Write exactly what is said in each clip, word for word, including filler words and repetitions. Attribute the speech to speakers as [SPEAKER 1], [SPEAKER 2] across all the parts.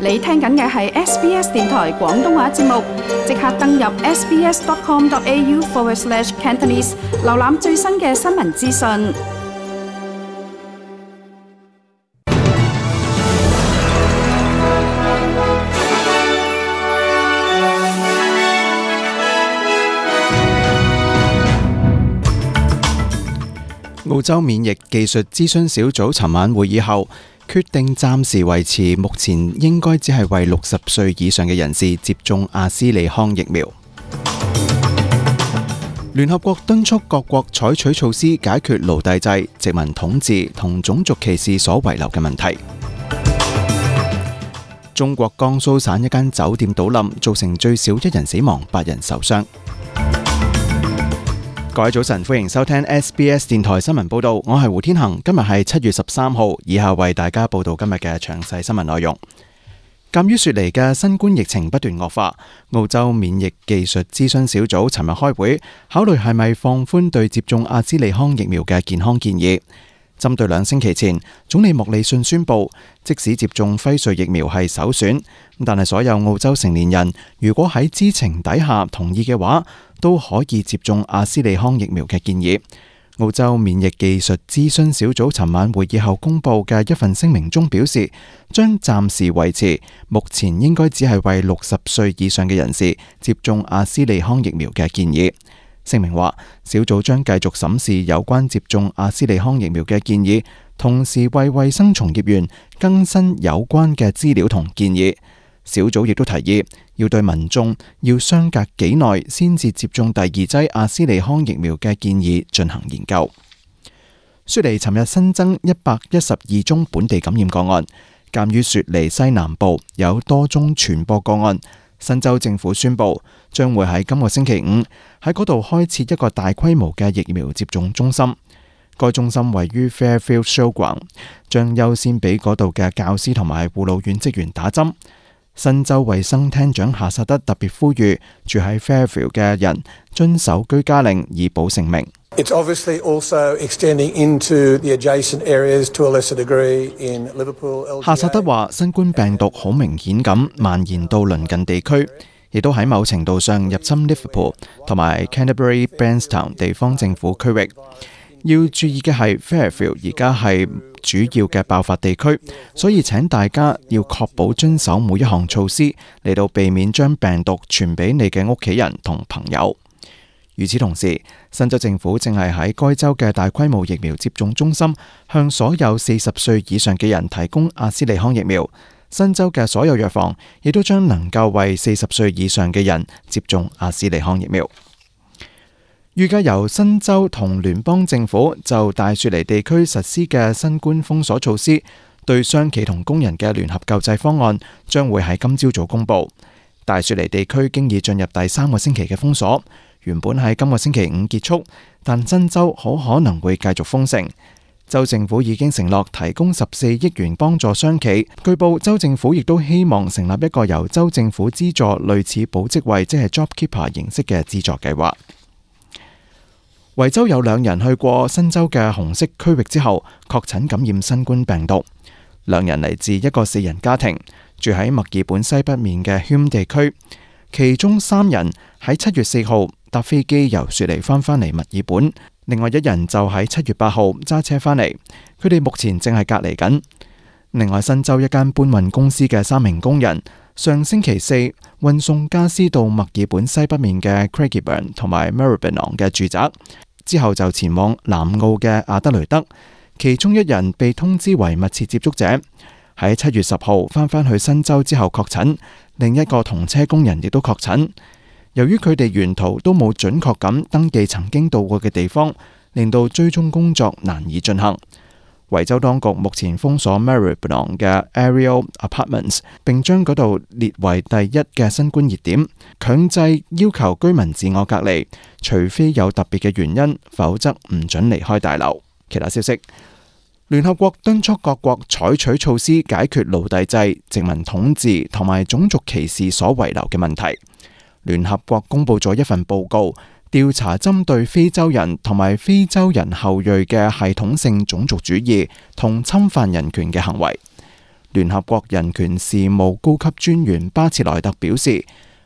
[SPEAKER 1] 你聽緊嘅係 S B S 電台廣東話節目，即刻登入 sbs.com.au forward slash Cantonese， 瀏覽最新嘅新聞資訊。
[SPEAKER 2] 澳洲免疫技術諮詢小組尋晚會議後，決定暫時維持目前應該只係為六十歲以上嘅人士接種阿斯利康疫苗。聯合國敦促各國採取措施解決奴隸制、殖民統治同種族歧視所遺留嘅問題。中國江蘇省一間酒店倒冧，造成最少一人死亡、八人受傷。各位早晨，歡迎收聽 S B S 電台新聞報道，我係胡天恒。今日係七月十三號，以下為大家報道今日嘅詳細新聞內容。鑒於雪梨嘅新冠疫情不斷惡化，澳洲免疫技術諮詢小組尋日開會，考慮係咪放寬對接種阿斯利康疫苗嘅健康建議。針對兩星期前，總理莫里遜宣布，即使接種輝瑞疫苗係首選，但係所有澳洲成年人如果喺知情底下同意嘅話，都可以接種阿斯利康疫苗嘅建議。澳洲免疫技術諮詢小組尋晚會議後公布嘅一份聲明中表示，將暫時維持目前應該只係為六十歲以上嘅人士接種阿斯利康疫苗嘅建議。聲明話，小組將繼續審視有關接種阿斯利康疫苗嘅建議，同時為衛生從業員更新有關嘅資料同建議。小組亦都提議要對民眾要相隔幾耐先至接種第二劑阿斯利康疫苗嘅建議進行研究。雪梨尋日新增一百一十二宗本地感染個案，鑒於雪梨西南部有多宗傳播個案，新州政府宣布將會喺今個星期五喺嗰度開設一個大規模嘅疫苗接種中心。該中心位於 Fairfield Showground， 將優先俾嗰度嘅教師同埋護老院職員打針。新州衛生廳長夏薩德特別呼籲住喺 Fairfield 嘅人遵守居家令，以保性命。
[SPEAKER 3] It's obviously also extending into the adjacent areas to a lesser degree in Liverpool, L G A。
[SPEAKER 2] 夏薩德話，新冠病毒好明顯咁蔓延到鄰近地區，亦都喺某程度上入侵 Liverpool 同埋 Canterbury Bankstown 地方政府區域。要注意嘅係 Fairfield 而家係主要嘅爆發地區，所以請大家要確保遵守每一項措施，嚟到避免將病毒傳俾你嘅屋企人同朋友。與此同時，新州政府正係喺該州嘅大規模疫苗接種中心向所有四十歲以上嘅人提供阿斯利康疫苗。新州嘅所有藥房亦都將能夠為四十歲以上嘅人接種阿斯利康疫苗。預計由新州同聯邦政府就大雪梨地區實施嘅新冠封鎖措施，對商企同工人嘅聯合救濟方案將會喺今朝早公布。大雪梨地區經已進入第三個星期嘅封鎖，原本喺今個星期五結束，但新州好可能會繼續封城。州政府已經承諾提供十四億元幫助商企，據報州政府亦都希望成立一個由州政府資助類似保職位，即係 JobKeeper 形式嘅資助計劃。維州有兩人去過新州嘅紅色區域之後，確診感染新冠病毒。兩人嚟自一個四人家庭，住喺墨爾本西北面嘅 Hume 地區。其中三人喺七月四號搭飛機由雪梨翻返嚟墨爾本，另外一人就喺七月八號揸車返嚟。佢哋目前正係隔離緊。另外，新州一間搬運公司嘅三名工人上星期四運送家私到墨爾本西北面嘅 Craigieburn 同埋 Maribyrnong 嘅住宅，之後就前往南澳嘅阿德雷德。其中一人被通知為密切接觸者，喺七月十號翻返去新州之後確診。另一個同車工人亦都確診。由於佢哋沿途都冇準確咁登記曾經到過嘅地方，令到追蹤工作難以進行。維州當局目前封鎖 Maribyrnong 嘅 Ariel Apartments， 並將嗰度列為第一嘅新冠熱點，強制要求居民自我隔離，除非有特別嘅原因，否則唔准離開大樓。其他消息，聯合國敦促各國採取措施解決奴隸制、殖民統治同埋種族歧視所遺留嘅問題。聯合國公布咗一份報告，調查針對非洲人同埋非洲人後裔嘅系統性種族主義同侵犯人權嘅行為。聯合國人權事務高級專員巴切萊特表示，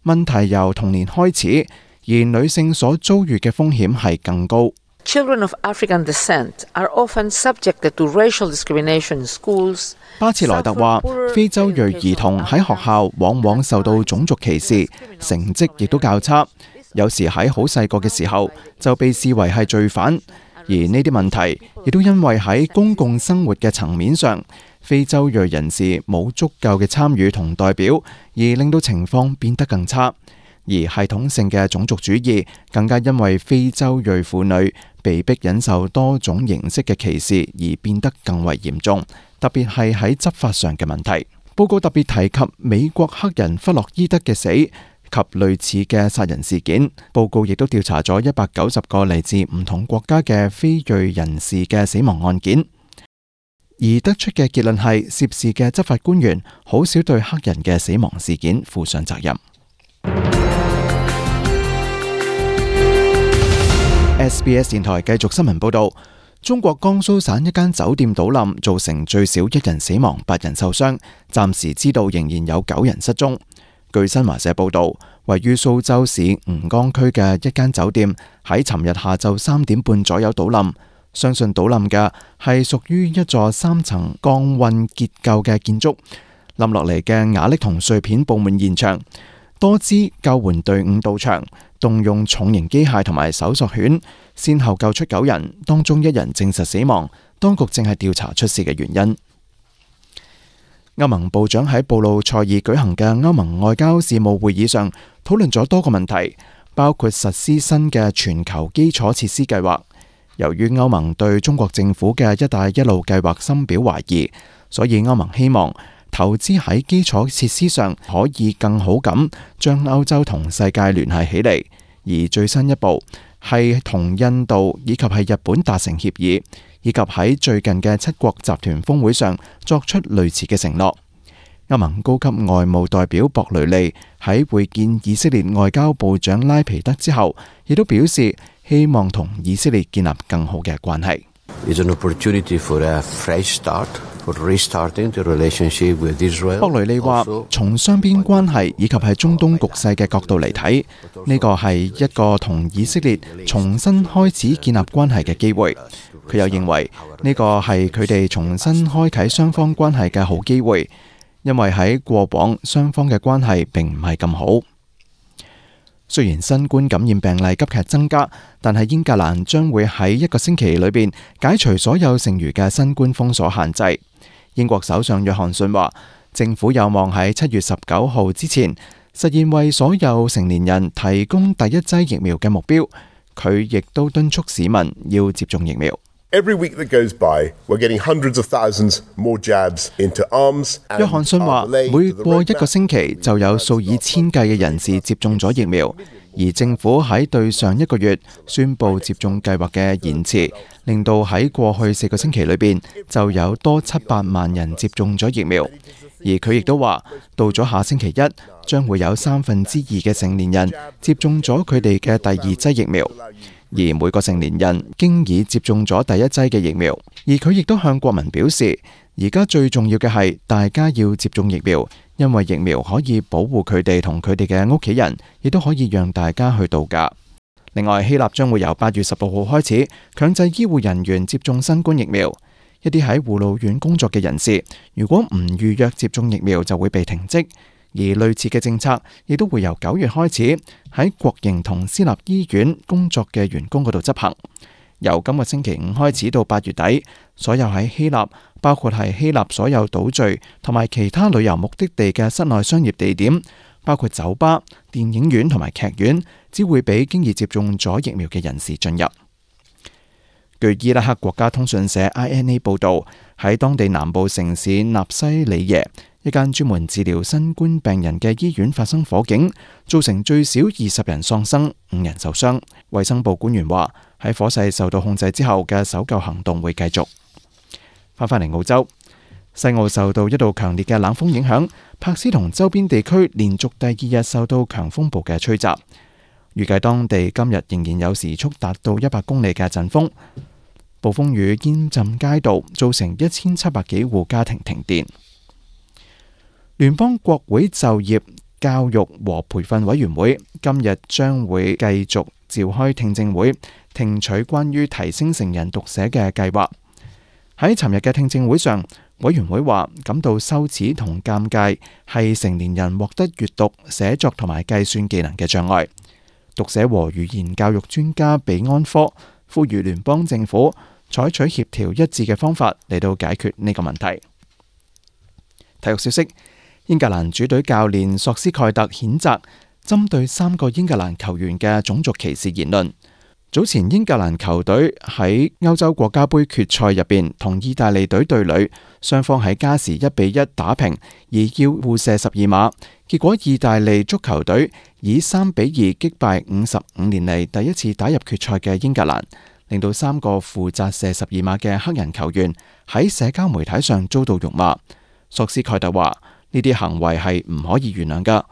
[SPEAKER 2] 問題由童年開始，而女性所遭遇嘅風險係更高。
[SPEAKER 4] Children of African descent are often subjected to racial discrimination in schools.
[SPEAKER 2] 巴切萊特話，非洲裔兒童喺學校往往受到種族歧視，成績亦都較差，有時喺好細個嘅時候就被視為係罪犯。而呢啲問題亦都因為喺公共生活嘅層面上，非洲裔人士冇足夠嘅參與同代表，而令到情況變得更差。而系統性嘅種族主義更加因為非洲裔婦女被迫忍受多種形式嘅歧視而變得更為嚴重，特別係喺執法上嘅問題。報告特別提及美國黑人弗洛伊德嘅死及類似嘅殺人事件。報告亦都調查咗一百九十個嚟自唔同國家嘅非裔人士嘅死亡案件，而得出嘅結論係涉事嘅執法官員好少對黑人嘅死亡事件負上責任。S B S 電台繼續新聞報道，中國江蘇省一間酒店倒冧，造成最少一人死亡、八人受傷，暫時知道仍然有九人失蹤。據新華社報道，位於蘇州市吳江區嘅一間酒店喺尋日下晝三點半左右倒冧，相信倒冧嘅係屬於一座三層鋼混結構嘅建築，冧落嚟嘅瓦礫同碎片佈滿現場。多支救援隊伍到場，動用重型機械同埋搜索犬，先後救出九人，當中一人證實死亡。當局正係調查出事嘅原因。歐盟部長喺布魯塞爾舉行嘅歐盟外交事務會議上，討論咗多個問題，包括實施新嘅全球基礎設施計劃。由於歐盟對中國政府嘅一帶一路計劃深表懷疑，所以歐盟希望投資喺基礎設施上可以更好咁將歐洲同世界聯繫起嚟，而最新一步係同印度以及係日本達成協議，以及喺最近嘅七國集團峰會上作出類似嘅承諾。歐盟高級外務代表博雷利喺會見以色列外交部長拉皮德之後，亦都表示希望同以色列建立更好嘅關係。博雷利話：從雙邊關係以及係中東局勢嘅角度嚟睇，呢個係一個同以色列重新開始建立關係嘅機會。佢又認為呢個係佢哋重新開啟雙方關係嘅好機會，因為喺過往雙方嘅關係並唔係咁好。雖然新冠感染病例急劇增加，但係英格蘭將會喺一個星期裏邊解除所有剩餘嘅新冠封鎖限制。英國首相約翰遜話，政府有望喺七月十九號之前實現為所有成年人提供第一劑疫苗嘅目標。佢亦都敦促市民要接種疫苗。
[SPEAKER 5] Every week that goes by, we're getting hundreds of thousands more jabs into arms.
[SPEAKER 2] 約翰遜話，每過一個星期就有數以千計嘅人士接種咗疫苗，而政府喺對上一個月宣布接種計劃嘅延遲，令到喺過去四個星期裏邊就有多七百萬人接種咗疫苗。而佢亦都話，到咗下星期一，將會有三分之二嘅成年人接種咗佢哋嘅第二劑疫苗。而每個成年人經已接種咗第一劑嘅疫苗，而佢亦都向國民表示，而家最重要嘅係大家要接種疫苗，因為疫苗可以保護佢哋同佢哋嘅屋企人，亦都可以讓大家去度假。另外，希臘將會由八月十六號開始強制醫護人員接種新冠疫苗，一啲喺護老院工作嘅人士，如果唔預約接種疫苗就會被停職。而類似嘅政策亦都會由九月開始喺國營同私立醫院工作嘅員工嗰度執行。由今個星期五開始到八月底，所有喺希臘，包括係希臘所有島嶼同埋其他旅遊目的地嘅室內商業地點，包括酒吧、電影院同埋劇院，只會俾經已接種咗疫苗嘅人士進入。據伊拉克國家通訊社 I N A 報導，喺當地南部城市納西里耶，一間專門治療新冠病人嘅醫院發生火警，造成最少二十人喪生，五人受傷。衛生部官員話，喺火勢受到控制之後嘅搜救行動會繼續。翻返嚟澳洲，西澳受到一道強烈嘅冷鋒影響，柏斯同周邊地區連續第二日受到強風暴嘅吹襲。預計當地今日仍然有時速達到一百公里嘅陣風，暴風雨淹浸街道，造成一千七百幾戶家庭停電。聯邦國會就業、教育和培訓委員會今日將會繼續召開聽證會，聽取關於提升成人讀寫嘅計劃。喺尋日嘅聽證會上，委員會話感到羞恥同尷尬係成年人獲得閱讀、寫作同埋計算技能嘅障礙。讀寫和語言教育專家比安科呼籲聯邦政府採取協調一致嘅方法嚟到解決呢個問題。體育消息，英格蘭主隊教練索斯蓋特譴責針對三個英格蘭球員嘅種族歧視言論。早前英格蘭球隊喺歐洲國家杯決賽入邊同意大利隊對壘，雙方喺加時一比一打平，而要互射十二碼，結果意大利足球隊以三比二擊敗五十五年嚟第一次打入決賽嘅英格蘭，令到三個負責射十二碼嘅黑人球員喺社交媒體上遭到辱罵。索斯蓋特話呢啲行為係唔可以原諒㗎，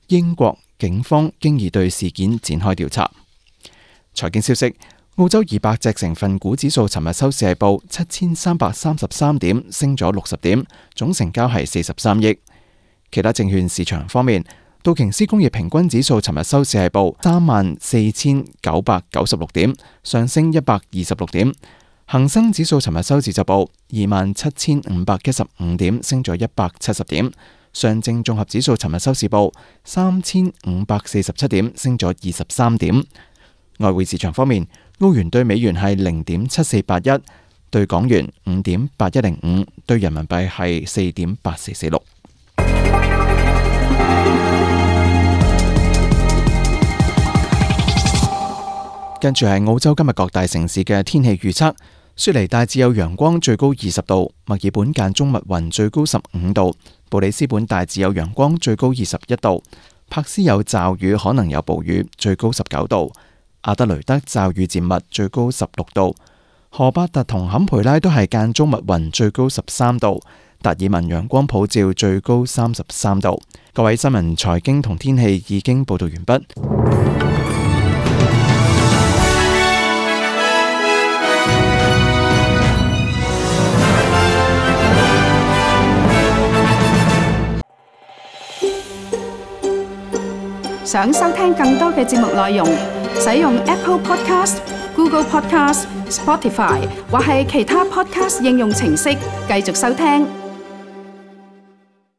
[SPEAKER 2] 英國警方經已對事件展開調查。財經消息，澳洲二百隻成分股指數尋日收市係報七千三百三十三點，升咗六十點，總成交係四十三億。其他證券市場方面，道瓊斯工業平均指數尋日收市係報三萬四千九百九十六點，上升一百二十六點。恒生指數尋日收市就報二萬七千五百一十五點，升咗一百七十點。上證綜合指數尋日收市報三千五百四十七點，升咗二十三點。外匯市場方面，澳元對美元係零點七四八一，對港元五點八一零五，對人民幣係四點八四四六。跟住係澳洲今日各大城市嘅天氣預測：雪梨大致有陽光，最高二十度；墨爾本間中密雲，最高十五度；布里斯本大致有陽光，最高二十一度；柏斯有驟雨，可能有暴雨，最高十九度。阿德雷德驟雨漸密，最高十六度；荷伯特同坎培拉都係間中密雲，最高十三度；達爾文陽光普照，最高三十三度。各位新聞、財經同天氣已經報道完畢。
[SPEAKER 1] 想收聽更多嘅節目內容，使用 Apple Podcast、Google Podcast、Spotify 或係其他 Podcast 應用程式繼續收聽。